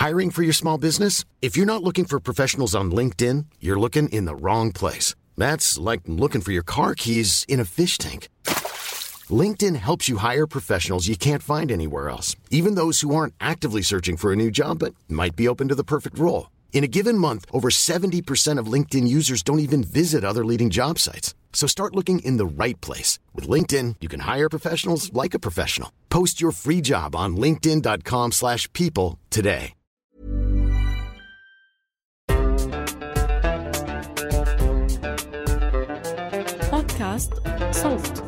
Hiring for your small business? If you're not looking for professionals on LinkedIn, you're looking in the wrong place. That's like looking for your car keys in a fish tank. LinkedIn helps you hire professionals you can't find anywhere else, even those who aren't actively searching for a new job but might be open to the perfect role. In a given month, over 70% of LinkedIn users don't even visit other leading job sites. So start looking in the right place. With LinkedIn, you can hire professionals like a professional. Post your free job on linkedin.com/people today. بودكاست صوت.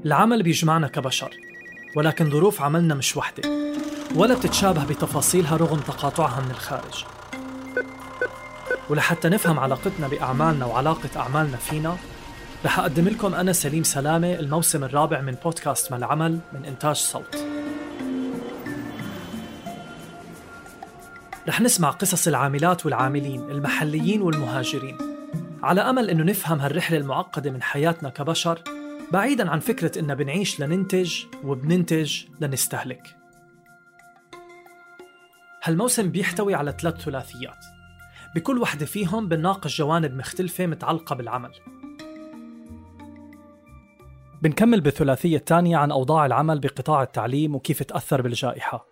العمل بيجمعنا كبشر، ولكن ظروف عملنا مش وحدة ولا بتتشابه بتفاصيلها رغم تقاطعها من الخارج. ولحتى نفهم علاقتنا بأعمالنا وعلاقة أعمالنا فينا، رح أقدم لكم أنا سليم سلامة الموسم الرابع من بودكاست ما العمل من إنتاج صوت. رح نسمع قصص العاملات والعاملين المحليين والمهاجرين، على أمل إنه نفهم هالرحلة المعقدة من حياتنا كبشر، بعيداً عن فكرة إننا بنعيش لننتج وبننتج لنستهلك. هالموسم بيحتوي على 3 ثلاثيات، بكل وحدة فيهم بنناقش جوانب مختلفة متعلقة بالعمل. بنكمل بالثلاثية الثانية عن أوضاع العمل بقطاع التعليم وكيف تأثر بالجائحة،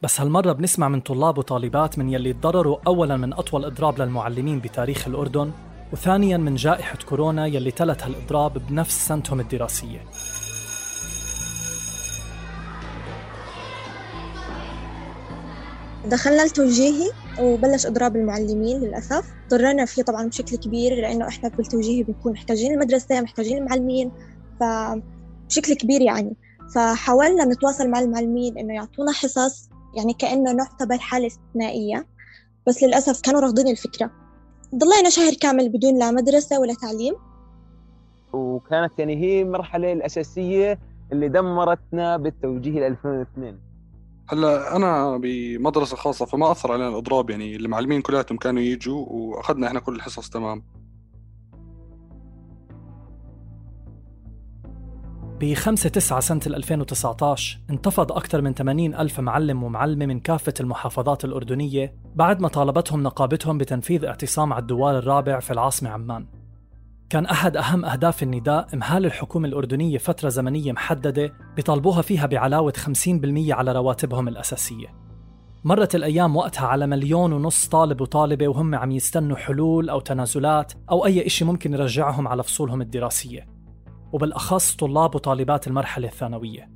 بس هالمرة بنسمع من طلاب وطالبات من يلي تضرروا أولاً من أطول إضراب للمعلمين بتاريخ الأردن، وثانياً من جائحة كورونا يلي تلت هالإضراب بنفس سنتهم الدراسية. دخلنا التوجيهي وبلش إضراب المعلمين للأسف، ضررنا فيه طبعاً بشكل كبير، لأنه إحنا بالتوجيهي بنكون محتاجين المدرسة، محتاجين المعلمين فبشكل كبير يعني. فحاولنا نتواصل مع المعلمين إنه يعطونا حصص يعني كأنه نعتبر حالة استثنائية، بس للأسف كانوا رافضين الفكرة. ضلينا شهر كامل بدون لا مدرسة ولا تعليم، وكانت يعني هي المرحلة الأساسية اللي دمرتنا بالتوجيه 2002. هلا أنا بمدرسة خاصة فما أثر علينا الإضراب، يعني المعلمين كلاتهم كانوا يجوا وأخذنا إحنا كل الحصص تمام. ب5/9 سنة 2019 انتفض أكثر من 80,000 معلم ومعلمة من كافة المحافظات الأردنية بعد ما طالبتهم نقابتهم بتنفيذ اعتصام على الدوار الرابع في العاصمة عمان. كان أحد أهم أهداف النداء إمهال الحكومة الأردنية فترة زمنية محددة بيطالبوها فيها بعلاوة 50% على رواتبهم الأساسية. مرت الأيام وقتها على 1.5 مليون طالب وطالبة وهم عم يستنوا حلول أو تنازلات أو أي إشي ممكن يرجعهم على فصولهم الدراسية، وبالأخص طلاب وطالبات المرحلة الثانوية.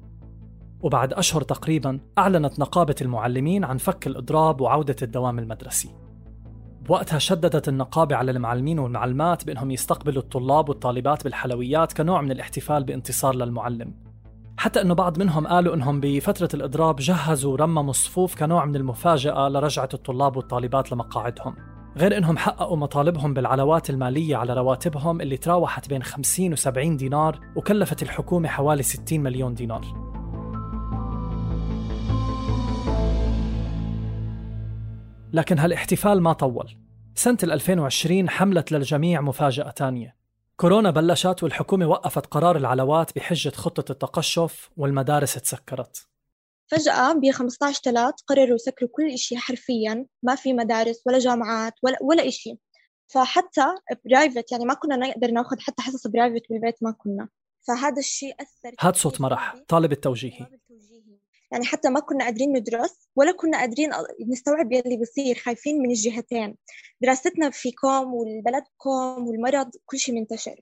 وبعد أشهر تقريباً أعلنت نقابة المعلمين عن فك الإضراب وعودة الدوام المدرسي. بوقتها شددت النقابة على المعلمين والمعلمات بأنهم يستقبلوا الطلاب والطالبات بالحلويات كنوع من الاحتفال بانتصار للمعلم، حتى أنه بعض منهم قالوا أنهم بفترة الإضراب جهزوا ورمموا الصفوف كنوع من المفاجأة لرجعة الطلاب والطالبات لمقاعدهم، غير أنهم حققوا مطالبهم بالعلاوات المالية على رواتبهم اللي تراوحت بين 50 و70 دينار وكلفت الحكومة حوالي 60 مليون دينار. لكن هالاحتفال ما طول. سنة 2020 حملت للجميع مفاجأة تانية. كورونا بلشت والحكومة وقفت قرار العلاوات بحجة خطة التقشف والمدارس تسكرت. فجأة ب15/3 قرروا يسكروا كل إشي حرفياً، ما في مدارس ولا جامعات ولا إشي. فحتى برايفت يعني ما كنا نقدر ناخد حتى حصص برايفت بالبيت، ما كنا. فهذا الشيء أثر. هاد صوت مرح طالب التوجيهي. يعني حتى ما كنا قادرين ندرس ولا كنا قادرين نستوعب يلي بيصير، خايفين من الجهتين، دراستنا فيكم والبلدكم والمرض كل شيء منتشر.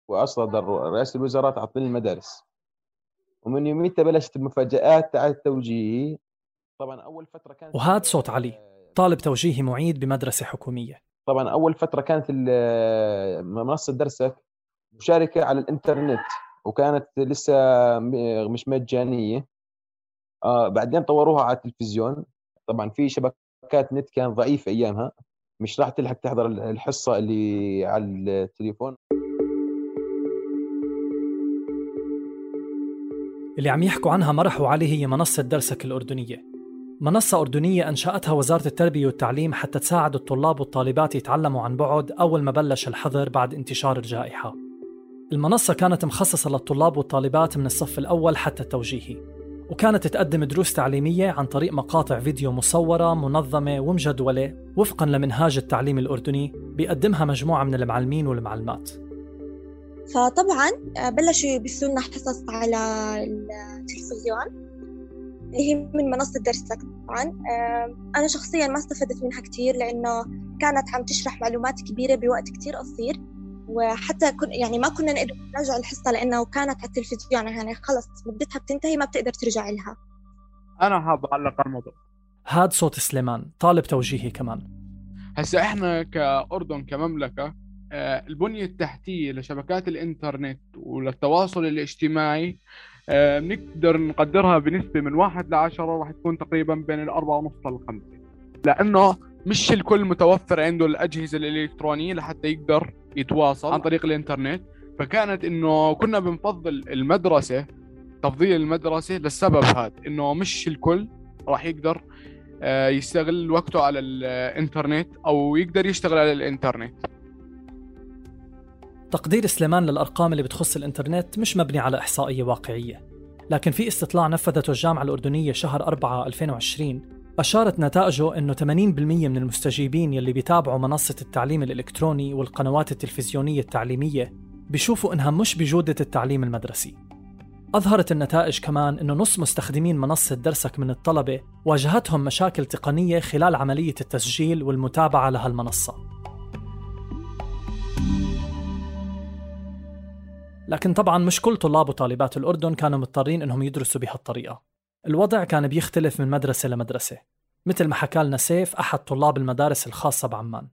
وأصدر رئاسة الوزراء تعطيل المدارس، ومن يوميتها بلشت المفاجآت تاع التوجيهي. طبعا أول فترة كانت وهاد صوت علي طالب توجيهي معيد بمدرسة حكومية. طبعا أول فترة كانت منصة درسك مشاركة على الإنترنت وكانت لسه مش مجانية. بعدين طوروها على التلفزيون. طبعا في شبكات نت كان ضعيفة أيامها، مش راح تلحق تحضر الحصة اللي على التليفون. اللي عم يحكوا عنها مرح وعلي هي منصة درسك الأردنية، منصة أردنية أنشأتها وزارة التربية والتعليم حتى تساعد الطلاب والطالبات يتعلموا عن بعد أول ما بلش الحظر بعد انتشار الجائحة. المنصة كانت مخصصة للطلاب والطالبات من الصف الأول حتى التوجيهي، وكانت تقدم دروس تعليمية عن طريق مقاطع فيديو مصورة منظمة ومجدولة وفقاً لمنهاج التعليم الأردني بيقدمها مجموعة من المعلمين والمعلمات. فطبعاً بلشوا يبثوا لنا حصص على التلفزيون اللي هي من منصة درسك. طبعاً أنا شخصياً ما استفدت منها كتير لأنه كانت عم تشرح معلومات كبيرة بوقت كتير قصير، وحتى يعني ما كنا نقدر نرجع الحصة لأنه كانت على التلفزيون، يعني خلص مدتها بتنتهي ما بتقدر ترجع لها. أنا حاب أعلق على الموضوع. هاد صوت سليمان طالب توجيهي كمان. هسا إحنا كأردن كمملكة البنية التحتية لشبكات الإنترنت وللتواصل الاجتماعي بنقدر نقدرها بنسبة من 1 ل10 راح تكون تقريبا بين 4.5 ل5، لأنه مش الكل متوفر عنده الأجهزة الإلكترونية لحتى يقدر يتواصل عن طريق الإنترنت. فكانت إنه كنا بنفضل المدرسة، تفضيل المدرسة للسبب هذا، إنه مش الكل راح يقدر يستغل وقته على الإنترنت أو يقدر يشتغل على الإنترنت. تقدير سليمان للأرقام اللي بتخص الإنترنت مش مبني على إحصائية واقعية، لكن في استطلاع نفذته الجامعة الأردنية شهر 4 2020 أشارت نتائجه إنه 80% من المستجيبين يلي بيتابعوا منصة التعليم الإلكتروني والقنوات التلفزيونية التعليمية بيشوفوا إنها مش بجودة التعليم المدرسي. أظهرت النتائج كمان إنه نص مستخدمين منصة درسك من الطلبة واجهتهم مشاكل تقنية خلال عملية التسجيل والمتابعة لها المنصة. لكن طبعاً مش كل طلاب وطالبات الأردن كانوا مضطرين إنهم يدرسوا بهالطريقة. الوضع كان بيختلف من مدرسة لمدرسة، مثل ما حكى لنا سيف أحد طلاب المدارس الخاصة بعمان.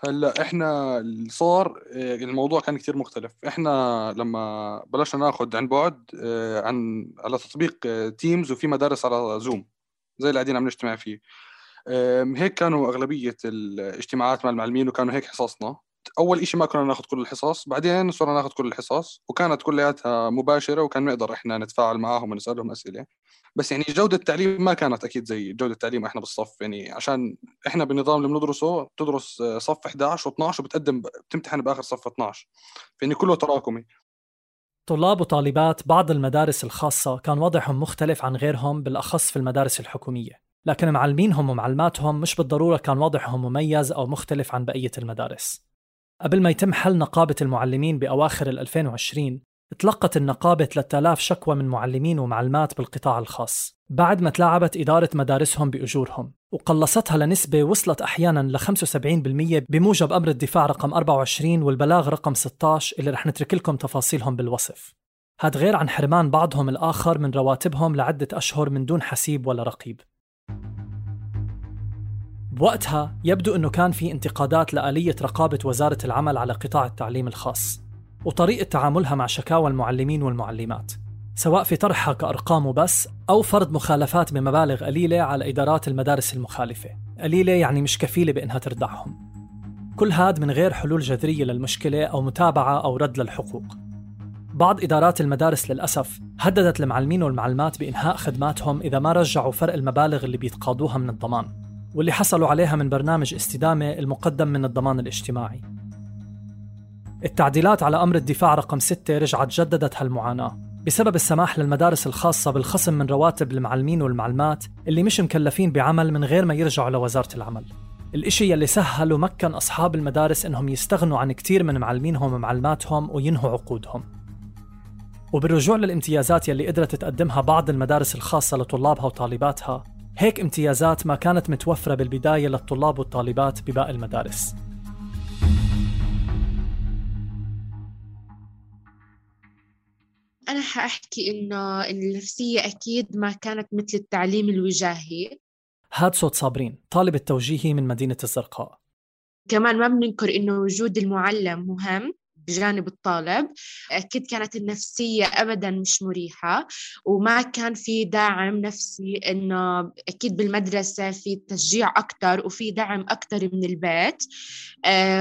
هلا احنا صار الموضوع كان كتير مختلف. احنا لما بلشنا ناخد عن بعد على تطبيق تيمز، وفي مدارس على زوم زي اللي قاعدين عم نجتمع فيه، هيك كانوا أغلبية الاجتماعات مع المعلمين، وكانوا هيك حصصنا. أول إشي ما كنا ناخد كل الحصص، بعدين صرنا ناخد كل الحصص وكانت كلياتها مباشرة، وكان نقدر إحنا نتفاعل معاهم ونسألهم أسئلة. بس يعني جودة التعليم ما كانت أكيد زي جودة التعليم إحنا بالصف، يعني عشان إحنا بالنظام اللي بندرسه بتدرس صف 11 و12 بتمتحن بآخر صف 12، فإني كله تراكمي. طلاب وطالبات بعض المدارس الخاصة كان وضعهم مختلف عن غيرهم، بالأخص في المدارس الحكومية، لكن معلمينهم ومعلماتهم مش بالضرورة كان وضعهم مميز أو مختلف عن بقية المدارس. قبل ما يتم حل نقابة المعلمين بأواخر 2020 تلقت النقابة 3000 شكوى من معلمين ومعلمات بالقطاع الخاص بعد ما تلاعبت إدارة مدارسهم بأجورهم، وقلصتها لنسبة وصلت أحياناً ل 75% بموجب أمر الدفاع رقم 24 والبلاغ رقم 16 اللي رح نترك لكم تفاصيلهم بالوصف. هاد غير عن حرمان بعضهم الآخر من رواتبهم لعدة أشهر من دون حسيب ولا رقيب. بوقتها يبدو أنه كان في انتقادات لآلية رقابة وزارة العمل على قطاع التعليم الخاص وطريقة تعاملها مع شكاوى المعلمين والمعلمات، سواء في طرحها كأرقام وبس أو فرض مخالفات بمبالغ قليلة على إدارات المدارس المخالفة. قليلة يعني مش كفيلة بأنها تردعهم. كل هاد من غير حلول جذرية للمشكلة أو متابعة أو رد للحقوق. بعض إدارات المدارس للأسف هددت المعلمين والمعلمات بإنهاء خدماتهم إذا ما رجعوا فرق المبالغ اللي بيتقاضوها من الضمان، واللي حصلوا عليها من برنامج استدامة المقدم من الضمان الاجتماعي. التعديلات على أمر الدفاع رقم 6 رجعت جددت هالمعاناة بسبب السماح للمدارس الخاصة بالخصم من رواتب المعلمين والمعلمات اللي مش مكلفين بعمل من غير ما يرجعوا لوزارة العمل، الإشي يلي سهل ومكن أصحاب المدارس إنهم يستغنوا عن كتير من معلمينهم ومعلماتهم وينهوا عقودهم. وبالرجوع للامتيازات يلي قدرت تقدمها بعض المدارس الخاصة لطلابها وطالباتها، هيك امتيازات ما كانت متوفرة بالبداية للطلاب والطالبات بباقي المدارس. أنا حأحكي إنه النفسية أكيد ما كانت مثل التعليم الوجاهي. هاد صوت صابرين طالبة توجيهي من مدينة الزرقاء. كمان ما بننكر إنه وجود المعلم مهم، بجانب الطالب. أكيد كانت النفسية أبداً مش مريحة، وما كان في دعم نفسي، إنه أكيد بالمدرسة في تشجيع أكتر وفي دعم أكتر من البيت.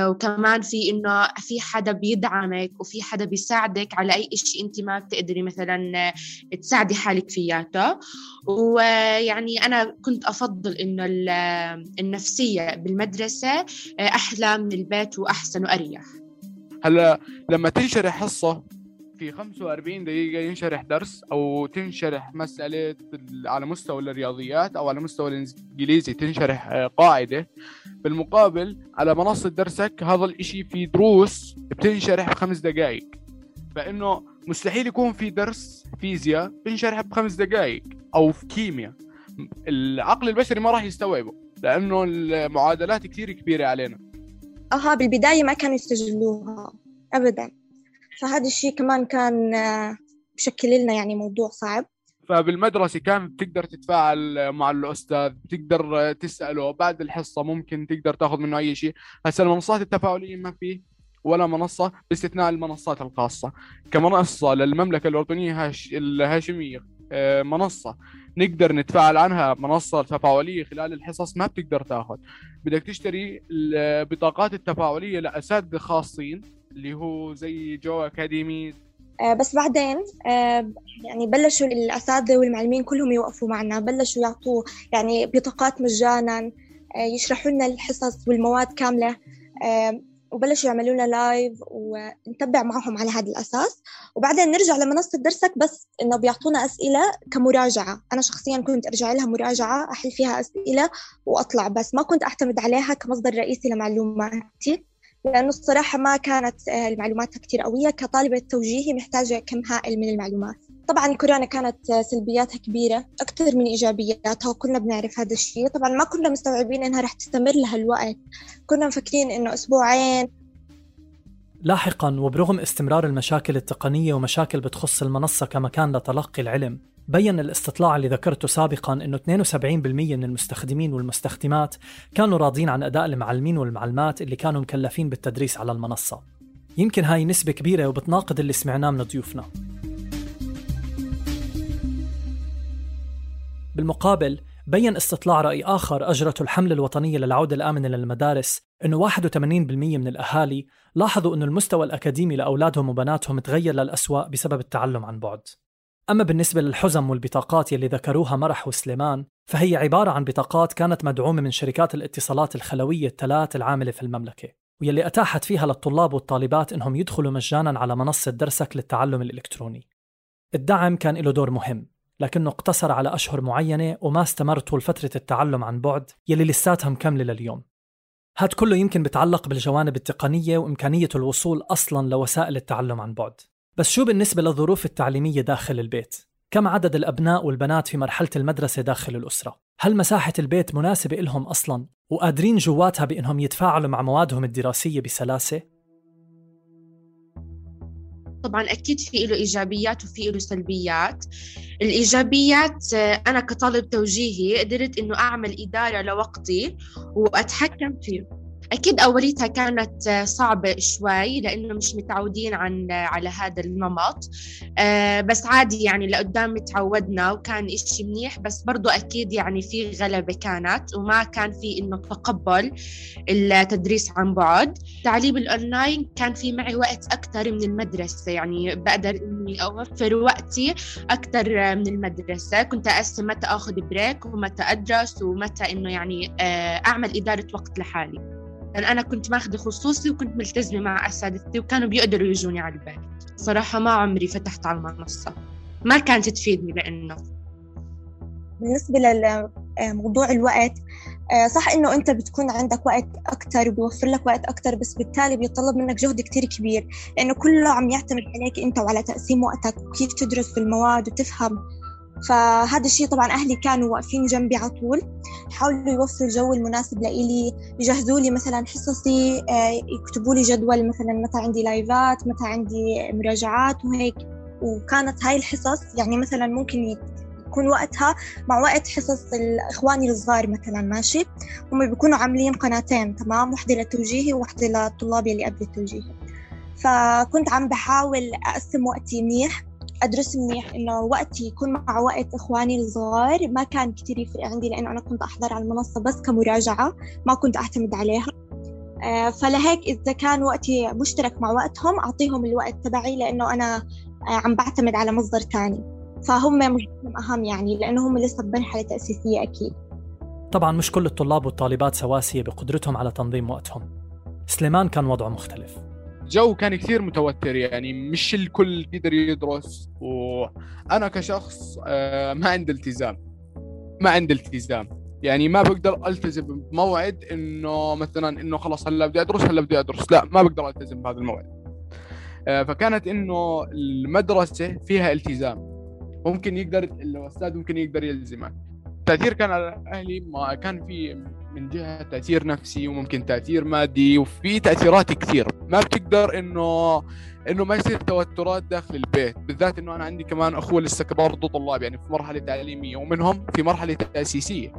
وكمان في إنه في حدا بيدعمك وفي حدا بيساعدك على أي إشي أنت ما بتقدري مثلاً تساعدي حالك فياته. ويعني أنا كنت أفضل إنه النفسية بالمدرسة أحلى من البيت وأحسن وأريح. هلا لما تنشرح حصة في 45 دقيقة ينشرح درس، أو تنشرح مسألة على مستوى الرياضيات أو على مستوى الإنجليزي تنشرح قاعدة، بالمقابل على منصة درسك هذا الإشي في دروس بتنشرح ب5 دقائق. فإنه مستحيل يكون في درس فيزياء بنشرح ب5 دقائق، أو في كيمياء العقل البشري ما راح يستوعبه لأنه المعادلات كتير كبيرة علينا. بالبداية ما كانوا يستجلوها أبداً، فهذا الشيء كمان كان بشكل لنا يعني موضوع صعب. فبالمدرسة كان بتقدر تتفاعل مع الأستاذ، بتقدر تسأله بعد الحصة، ممكن تقدر تاخذ منه أي شيء. هسه المنصات التفاعلية ما فيه ولا منصة باستثناء المنصات الخاصة. كمنصة للمملكة الأردنية الهاشمية منصة نقدر نتفاعل عنها، منصة تفاعلية خلال الحصص ما بتقدر تاخذ، بدك تشتري البطاقات التفاعلية لأساتذة خاصين اللي هو زي جو أكاديمي. بس بعدين يعني بلشوا الأساتذة والمعلمين كلهم يوقفوا معنا، بلشوا يعطوا يعني بطاقات مجانا، يشرحوا لنا الحصص والمواد كاملة، وبلشوا يعملوا لنا لايف ونتبع معهم على هذا الأساس. وبعدين نرجع لمنصة درسك، بس إنه بيعطونا أسئلة كمراجعة. أنا شخصياً كنت أرجع لها مراجعة، أحل فيها أسئلة وأطلع، بس ما كنت أعتمد عليها كمصدر رئيسي لمعلوماتي، لأنه الصراحة ما كانت المعلومات كتير قوية. كطالبة توجيهي محتاجة كم هائل من المعلومات. طبعاً كورونا كانت سلبياتها كبيرة أكثر من إيجابياتها، وكلنا بنعرف هذا الشيء. طبعاً ما كنا مستوعبين إنها رح تستمر لهالوقت، كنا مفكرين إنه أسبوعين. لاحقاً وبرغم استمرار المشاكل التقنية ومشاكل بتخص المنصة كمكان لتلقي العلم، بيّن الاستطلاع اللي ذكرته سابقاً إنه 72% من المستخدمين والمستخدمات كانوا راضين عن أداء المعلمين والمعلمات اللي كانوا مكلفين بالتدريس على المنصة. يمكن هاي نسبة كبيرة وبتناقض اللي سمعناه من ضيوفنا. بالمقابل بيّن استطلاع رأي آخر أجرته الحملة الوطنية للعودة الآمنة للمدارس إنه 81% من الأهالي لاحظوا إنه المستوى الأكاديمي لأولادهم وبناتهم تغير للأسوأ بسبب التعلم عن بعد. أما بالنسبة للحزم والبطاقات يلي ذكروها مرح وسليمان، فهي عبارة عن بطاقات كانت مدعومة من شركات الاتصالات الخلوية ال3 العاملة في المملكة، ويلي أتاحت فيها للطلاب والطالبات إنهم يدخلوا مجاناً على منصة درسك للتعلم الإلكتروني. الدعم كان له دور مهم، لكنه اقتصر على أشهر معينة وما استمر طول فترة التعلم عن بعد يلي لساتها مكملة لليوم. هاد كله يمكن بتعلق بالجوانب التقنية وإمكانية الوصول أصلاً لوسائل التعلم عن بعد. بس شو بالنسبة للظروف التعليمية داخل البيت؟ كم عدد الأبناء والبنات في مرحلة المدرسة داخل الأسرة؟ هل مساحة البيت مناسبة إلهم أصلاً وقادرين جواتها بأنهم يتفاعلوا مع موادهم الدراسية بسلاسة؟ طبعاً أكيد في له إيجابيات وفي له سلبيات. الإيجابيات أنا كطالب توجيهي قدرت إنه أعمل إدارة لوقتي وأتحكم فيه. أكيد أوليتها كانت صعبة شوي لأنه مش متعودين على هذا النمط، بس عادي يعني لقدام تعودنا وكان إشي منيح. بس برضو أكيد يعني في غلبة كانت، وما كان في إنه تقبل التدريس عن بعد. تعليم الأونلاين كان في معي وقت أكتر من المدرسة، يعني بقدر إني أوفر وقتي أكتر من المدرسة. كنت أقسم متى أخذ بريك ومتى أدرس ومتى إنه يعني أعمل إدارة وقت لحالي. أنا كنت ماخذة خصوصي وكنت ملتزمة مع أساتذتي وكانوا بيقدروا يجوني على البيت. صراحة ما عمري فتحت على المنصة، ما كانت تفيدني. لأنه بالنسبة لموضوع الوقت، صح إنه أنت بتكون عندك وقت أكتر وبيوفر لك وقت أكتر، بس بالتالي بيطلب منك جهد كتير كبير، لأنه كله عم يعتمد عليك أنت وعلى تقسيم وقتك وكيف تدرس في المواد وتفهم. فهذا الشيء طبعاً أهلي كانوا واقفين جنبي على طول، حاولوا يوفروا الجو المناسب لإلي، يجهزوا لي مثلاً حصصي، يكتبوا لي جدول مثلاً متى عندي لايفات، متى عندي مراجعات وهيك. وكانت هاي الحصص يعني مثلاً ممكن يكون وقتها مع وقت حصص إخواني الصغار مثلاً، ماشي، هم بيكونوا عاملين قناتين، تمام، واحدة للتوجيهي وواحدة للطلاب اللي قبل التوجيهي. فكنت عم بحاول أقسم وقتي منيح، أدرس منيح، إنه وقتي يكون مع وقت إخواني الصغار. ما كان كتير يفرق عندي لأنه أنا كنت أحضر على المنصة بس كمراجعة، ما كنت أعتمد عليها. فلهيك إذا كان وقتي مشترك مع وقتهم أعطيهم الوقت تبعي، لأنه أنا عم بعتمد على مصدر تاني، فهم مهم أهم يعني، لأنه هم لسه بمرحلة تأسيسية أكيد. طبعاً مش كل الطلاب والطالبات سواسية بقدرتهم على تنظيم وقتهم. سليمان كان وضعه مختلف. الجو كان كثير متوتر، يعني مش الكل يقدر يدرس، وأنا كشخص ما عندي التزام، يعني ما بقدر ألتزم بموعد إنه مثلا إنه خلاص هلا بدي أدرس، لا ما بقدر ألتزم بهذا الموعد. فكانت إنه المدرسة فيها التزام، ممكن يقدر الأستاذ ممكن يقدر يلزمك. التأثير كان على أهلي، ما كان في من جهة تأثير نفسي وممكن تأثير مادي، وفي تأثيرات كثير. ما بتقدر إنه ما يصير توترات داخل البيت، بالذات إنه أنا عندي كمان أخوة لسه برضه طلاب، يعني في مرحلة تعليمية ومنهم في مرحلة تأسيسية.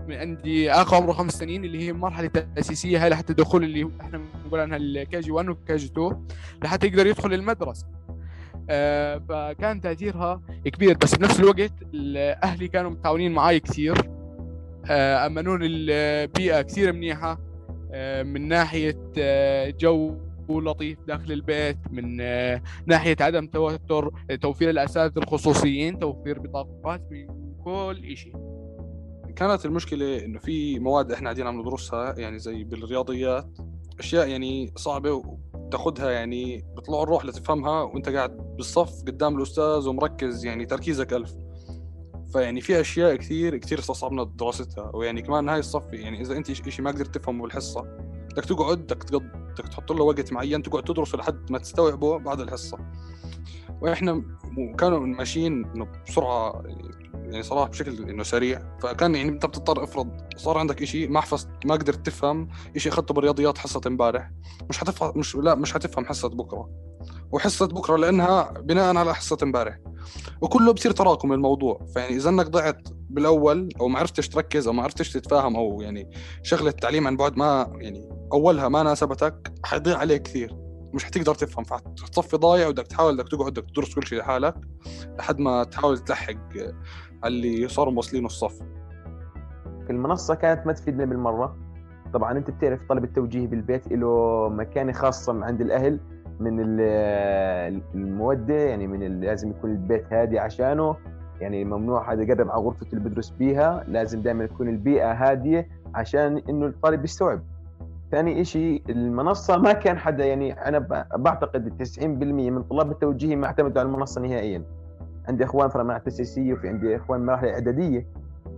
من عندي أخ عمره 5 سنين اللي هي مرحلة تأسيسية، هاي لحتى دخول اللي إحنا بنقول عنها الكي جي 1 والكي جي 2 لحتى يقدر يدخل المدرسة. فكان تأثيرها كبير، بس بنفس الوقت أهلي كانوا متعاونين معاي كثير، أمنون البيئة كثير منيحة، من ناحية جو لطيف داخل البيت، من ناحية عدم توتر، توفير الأساتذة الخصوصيين، توفير بطاقات، من كل إشي. كانت المشكلة إنه في مواد إحنا قاعدين عم ندرسها، يعني زي بالرياضيات أشياء يعني صعبة تاخدها، يعني بطلع الروح لتفهمها وانت قاعد بالصف قدام الأستاذ ومركز، يعني تركيزك 1000. فيعني في أشياء كثير استصعبنا دراستها. ويعني كمان هاي الصف، يعني إذا أنت إشي ما قدرت تفهمه بالحصة، بدك تقعد بدك تحط له وقت معين تقعد تدرسه لحد ما تستوعبه بعد الحصة. وإحنا كانوا ماشيين إنه بسرعة، يعني صراحة بشكل إنه سريع. فكان يعني أنت بتضطر، افرض صار عندك إشي ما حفظت، ما قدرت تفهم إشي أخذته بالرياضيات حصة امبارح، مش هتفهم حصة بكرة، وحصة بكرة لأنها بناء على حصة امبارح، وكله بصير تراكم الموضوع. فيعني إذا أنك ضعت بالأول أو ما عرفتش تركز أو ما عرفتش تتفاهم، أو يعني شغلة التعليم عن بعد ما يعني أولها ما ناسبتك، حيضيع عليك كثير، مش هتقدر تفهم، فتصفي ضايع، ودك تحاول بدك تقعد بدك تدرس كل شيء لحالك لحد ما تحاول تلحق على اللي صاروا موصلين الصف. المنصة كانت ما تفيدنا بالمرة. طبعا أنت بتعرف طلب التوجيه بالبيت له مكانة خاصة عند الأهل من المودة، يعني لازم يكون البيت هادي عشانه، يعني ممنوع حدا يقرب على غرفة اللي بدرس بيها، لازم دائما تكون البيئة هادية عشان إنه الطالب يستوعب. ثاني إشي المنصة ما كان حدا، يعني أنا بعتقد 90% من طلاب التوجيه ما اعتمدوا على المنصة نهائيا. عندي إخوان في مرحلة تأسيسية وفي عندي إخوان مرحلة إعدادية.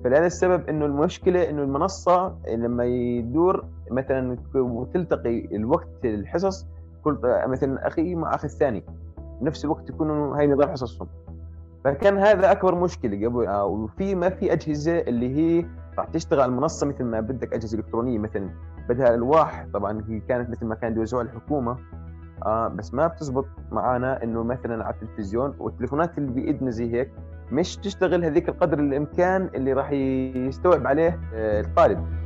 فلهذا السبب إنه المشكلة إنه المنصة لما يدور مثلا وتلتقي الوقت الحصص، كل مثلا أخي مع أخي الثاني نفس الوقت يكونوا هاي نظام حصصهم. فكان هذا أكبر مشكلة قبل. وفي ما في أجهزة اللي هي راح تشتغل على المنصة مثل ما بدك، أجهزة إلكترونية مثلا بدها ألواح. طبعا هي كانت مثل ما كان يوزعوها الحكومة، بس ما بتزبط معانا إنه مثلا على التلفزيون والتليفونات اللي بإيدنا زي هيك مش تشتغل هذيك القدر الإمكان اللي راح يستوعب عليه الطالب.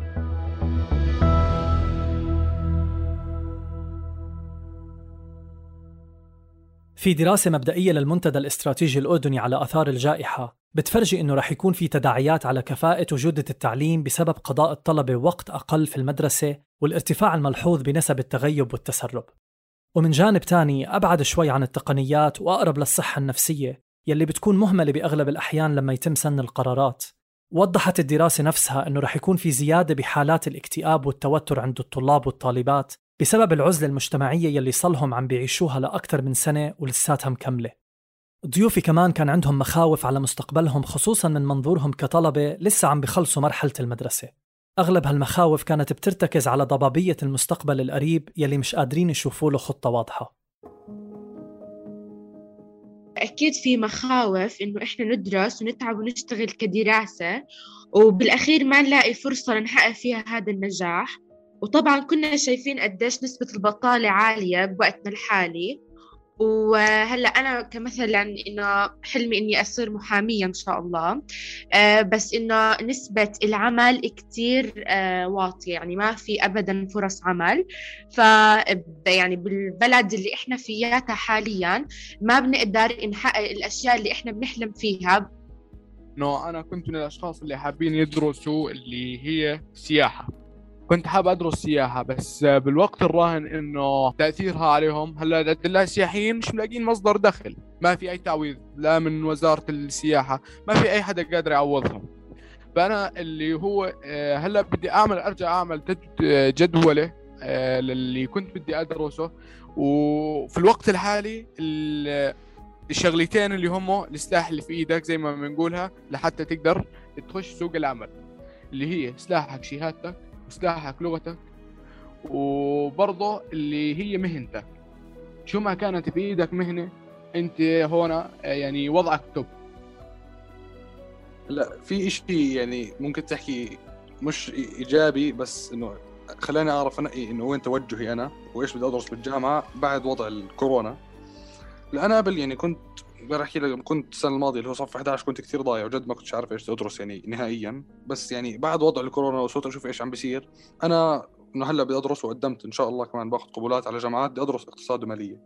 في دراسة مبدئية للمنتدى الاستراتيجي الأردني على آثار الجائحة بتفرجي إنه رح يكون في تداعيات على كفاءة وجودة التعليم بسبب قضاء الطلبة وقت أقل في المدرسة والارتفاع الملحوظ بنسب التغيب والتسرب. ومن جانب تاني أبعد شوي عن التقنيات وأقرب للصحة النفسية يلي بتكون مهملة بأغلب الأحيان لما يتم سن القرارات. وضحت الدراسة نفسها إنه رح يكون في زيادة بحالات الاكتئاب والتوتر عند الطلاب والطالبات بسبب العزلة المجتمعية يلي صلهم عم بيعيشوها لأكثر من سنة ولساتها مكملة. ضيوفي كمان كان عندهم مخاوف على مستقبلهم، خصوصاً من منظورهم كطلبة لسه عم بيخلصوا مرحلة المدرسة. أغلب هالمخاوف كانت بترتكز على ضبابية المستقبل القريب يلي مش قادرين يشوفوا له خطة واضحة. أكيد في مخاوف إنه إحنا ندرس ونتعب ونشتغل كدراسة وبالأخير ما نلاقي فرصة نحقق فيها هذا النجاح. وطبعاً كنا شايفين قديش نسبة البطالة عالية بوقتنا الحالي، وهلا انا كمثلا انه حلمي اني اصير محاميه ان شاء الله. بس انه نسبه العمل كتير واطيه، يعني ما في ابدا فرص عمل. ف يعني بالبلد اللي احنا فياتها حاليا ما بنقدر نحقق الاشياء اللي احنا بنحلم فيها. انا كنت من الاشخاص اللي حابين يدرسوا اللي هي سياحه. كنت حاب أدرس سياحة، بس بالوقت الراهن إنه تأثيرها عليهم هلا الدلاء السياحيين مش ملاقين مصدر دخل، ما في أي تعويض لا من وزارة السياحة، ما في أي حدا قادر يعوضهم. فأنا اللي هو هلا بدي أرجع أعمل جدولة للي كنت بدي أدرسه. وفي الوقت الحالي الشغلتين اللي هم السلاح اللي في إيدك زي ما بنقولها لحتى تقدر تخش سوق العمل، اللي هي سلاحك شهادتك وسلاحك لغتك، وبرضه اللي هي مهنتك. شو ما كانت بإيدك مهنة انت هنا يعني وضعك توب. لا في إشي يعني ممكن تحكي مش إيجابي، بس إنه خلاني أعرف أنقي إنه وين توجهي أنا وإيش بدي أدرس بالجامعة بعد وضع الكورونا. لا أنا قبل يعني كنت بحكي لك، كنت السنة الماضية اللي هو صف 11 كنت كتير ضايع وجد ما كنتش عارف إيش أدرس يعني نهائيا. بس يعني بعد وضع الكورونا وصرت أشوف إيش عم بيصير، أنا إنه هلا بدي أدرس وقدمت إن شاء الله كمان باخذ قبولات على جامعات، بدي أدرس اقتصاد ومالية.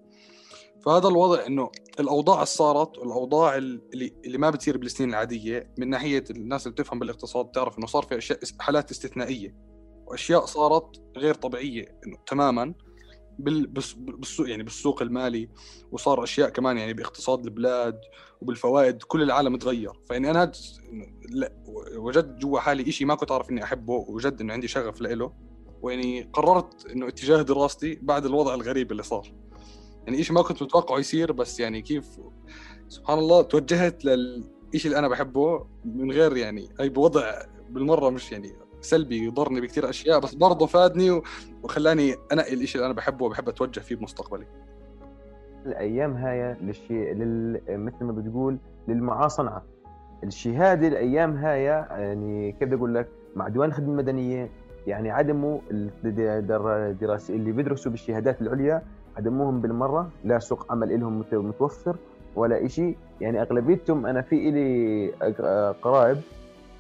فهذا الوضع إنه الأوضاع اللي صارت والأوضاع اللي ما بتصير بالسنين العادية من ناحية الناس اللي بتفهم بالاقتصاد تعرف إنه صار في أشياء حالات استثنائية وأشياء صارت غير طبيعية إنه تماماً بالسوق، يعني بالسوق المالي، وصار أشياء كمان يعني باقتصاد البلاد وبالفوائد كل العالم تغير. فإني أنا وجدت جوا حالي إشي ما كنت أعرف إني أحبه، وجد إنه عندي شغف لإله، ويعني قررت إنه اتجاه دراستي بعد الوضع الغريب اللي صار، يعني إشي ما كنت متوقعه يصير، بس يعني كيف سبحان الله توجهت للإشي اللي أنا بحبه من غير يعني أي بوضع بالمرة مش يعني سلبي يضرني بكتير أشياء، بس برضه فادني وخلاني أنقي الإشي اللي أنا بحبه وبحب أتوجه فيه بمستقبلي. الأيام هاي مثل ما بتقول للمعاصنة الشهادة. الأيام هاي يعني كيف بدي أقول لك، مع ديوان الخدمة المدنية يعني عدموا الدراسة اللي بيدرسوا بالشهادات العليا، عدموهم بالمرة، لا سوق عمل لهم متوفر ولا إشي. يعني أغلبيتهم أنا في إلي قرائب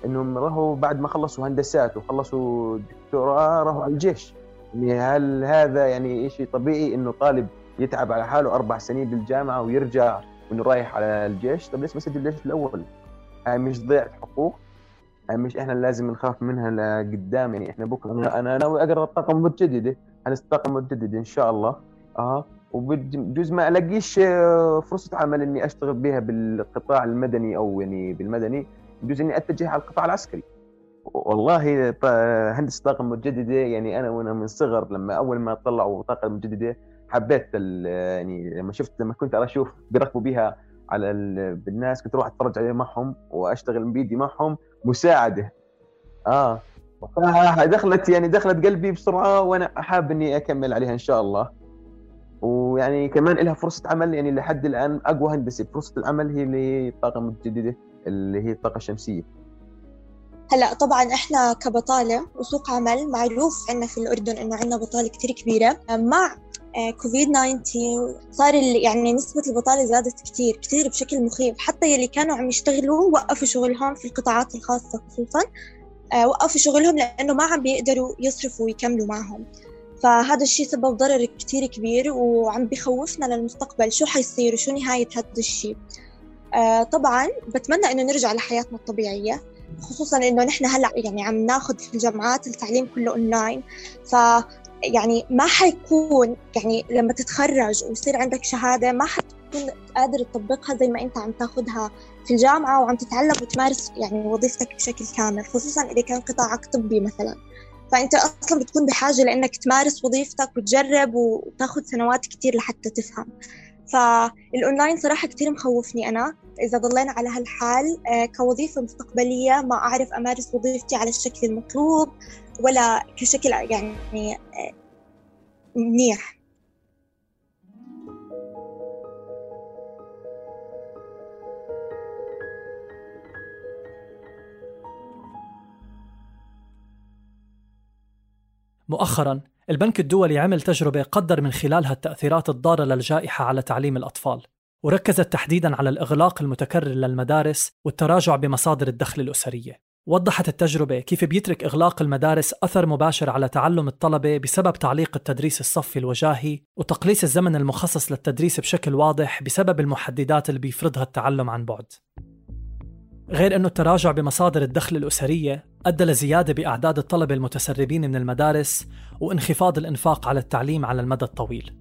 إنهم راحوا بعد ما خلصوا هندسات وخلصوا دكتوراه راحوا على الجيش. يعني هل هذا يعني إشي طبيعي إنه طالب يتعب على حاله 4 سنين بالجامعة ويرجع وإنه رايح على الجيش؟ طب ليش ما سجل الجيش الأول؟ هاي مش ضيعة حقوق؟ هاي مش إحنا لازم نخاف منها لقدام؟ يعني إحنا بكرة أنا ناوي أقرأ الطاقة المتجددة، الطاقة المتجددة إن شاء الله. وبجوز ما ألاقيش فرصة عمل إني أشتغل بها بالقطاع المدني أو يعني بالمدني، بجوز إني أتجه على القطاع العسكري. والله هندسة الطاقة المتجددة يعني أنا من صغر لما أول ما طلعوا طاقة متجددة حبيت يعني لما كنت أشوف بيركبوا بيها على بالناس كنت أروح أتفرج عليه معهم وأشتغل بيدي معهم مساعدة. دخلت قلبي بسرعة وأنا حاب إني أكمل عليها إن شاء الله. ويعني كمان لها فرصة عمل، يعني لحد الآن أقوى هندسة فرصة العمل هي الطاقة المتجددة اللي هي الطاقة الشمسية. هلا طبعا احنا كبطالة وسوق عمل معروف عندنا في الأردن إنه عندنا بطالة كتير كبيرة. مع كوفيد 19 صار يعني نسبة البطالة زادت كتير كتير بشكل مخيف، حتى يلي كانوا عم يشتغلوا وقفوا شغلهم في القطاعات الخاصة خصوصا، وقفوا شغلهم لأنه ما عم بيقدروا يصرفوا ويكملوا معهم. فهذا الشيء سبب ضرر كتير كبير وعم بيخوفنا للمستقبل، شو حيصير وشو نهاية هذا الشيء. طبعا بتمنى إنه نرجع لحياتنا الطبيعية، خصوصا إنه نحن هلأ يعني عم ناخد في الجامعات التعليم كله أونلاين. يعني ما حيكون يعني لما تتخرج ويصير عندك شهادة ما حتكون قادر تطبقها زي ما أنت عم تاخدها في الجامعة وعم تتعلم وتمارس يعني وظيفتك بشكل كامل، خصوصا إذا كان قطاعك طبي مثلا. فأنت أصلا بتكون بحاجة لأنك تمارس وظيفتك وتجرب وتاخد سنوات كتير لحتى تفهم. فالأونلاين صراحة كتير مخوفني أنا إذا ضلينا على هالحال كوظيفة مستقبلية، ما أعرف أمارس وظيفتي على الشكل المطلوب ولا كشكل يعني منيح. مؤخراً البنك الدولي عمل تجربة قدر من خلالها التأثيرات الضارة للجائحة على تعليم الأطفال، وركزت تحديداً على الإغلاق المتكرر للمدارس والتراجع بمصادر الدخل الأسرية. وضحت التجربة كيف بيترك إغلاق المدارس أثر مباشر على تعلم الطلبة بسبب تعليق التدريس الصفي الوجاهي وتقليص الزمن المخصص للتدريس بشكل واضح بسبب المحددات اللي بيفرضها التعلم عن بعد. غير أنه التراجع بمصادر الدخل الأسرية أدى لزيادة بأعداد الطلبة المتسربين من المدارس وانخفاض الإنفاق على التعليم على المدى الطويل.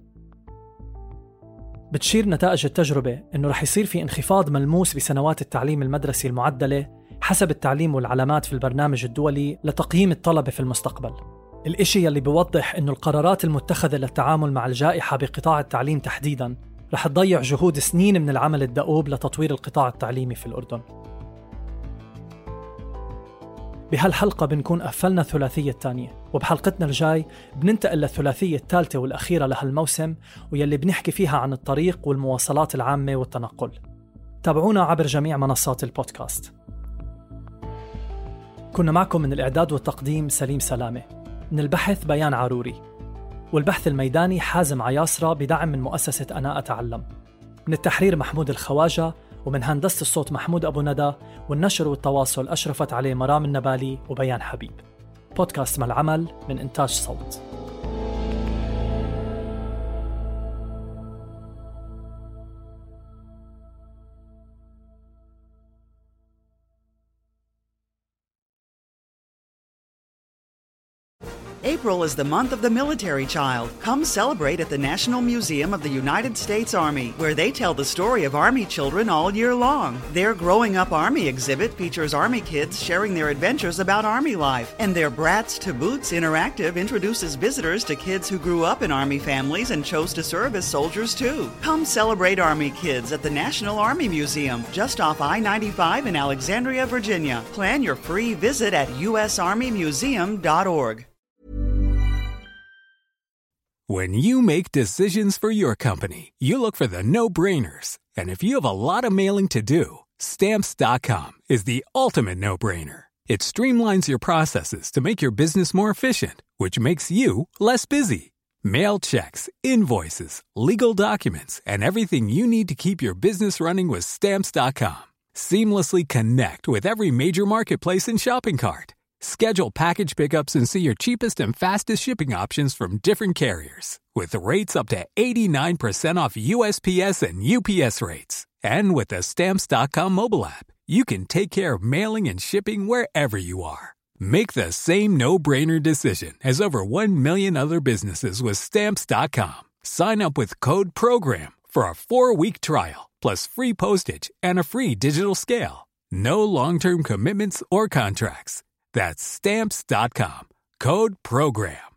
بتشير نتائج التجربة أنه رح يصير في انخفاض ملموس بسنوات التعليم المدرسي المعدلة حسب التعليم والعلامات في البرنامج الدولي لتقييم الطلبة في المستقبل. الإشي يلي بيوضح أنه القرارات المتخذة للتعامل مع الجائحة بقطاع التعليم تحديداً رح تضيع جهود سنين من العمل الدؤوب لتطوير القطاع التعليمي في الأردن. بهالحلقة بنكون قفلنا الثلاثية الثانية، وبحلقتنا الجاي بننتقل للثلاثية الثالثة والأخيرة لهالموسم ويلي بنحكي فيها عن الطريق والمواصلات العامة والتنقل. تابعونا عبر جميع منصات البودكاست. كنا معكم من الإعداد والتقديم سليم سلامة، من البحث بيان عروري، والبحث الميداني حازم عياصرة بدعم من مؤسسة أنا أتعلم، من التحرير محمود الخواجة، ومن هندسة الصوت محمود أبو ندى، والنشر والتواصل أشرفت عليه مرام النبالي وبيان حبيب. بودكاست مع العمل من إنتاج صوت. April is the month of the military child. Come celebrate at the National Museum of the United States Army, where they tell the story of Army children all year long. Their Growing Up Army exhibit features Army kids sharing their adventures about Army life, and their Brats to Boots interactive introduces visitors to kids who grew up in Army families and chose to serve as soldiers too. Come celebrate Army kids at the National Army Museum, just off I-95 in Alexandria, Virginia. Plan your free visit at usarmymuseum.org. When you make decisions for your company, you look for the no-brainers. And if you have a lot of mailing to do, Stamps.com is the ultimate no-brainer. It streamlines your processes to make your business more efficient, which makes you less busy. Mail checks, invoices, legal documents, and everything you need to keep your business running with Stamps.com. Seamlessly connect with every major marketplace and shopping cart. Schedule package pickups and see your cheapest and fastest shipping options from different carriers, with rates up to 89% off USPS and UPS rates. And with the Stamps.com mobile app, you can take care of mailing and shipping wherever you are. Make the same no-brainer decision as over 1 million other businesses with Stamps.com. Sign up with code PROGRAM for a 4-week trial, plus free postage and a free digital scale. No long-term commitments or contracts. That's Stamps.com. Code PROGRAM.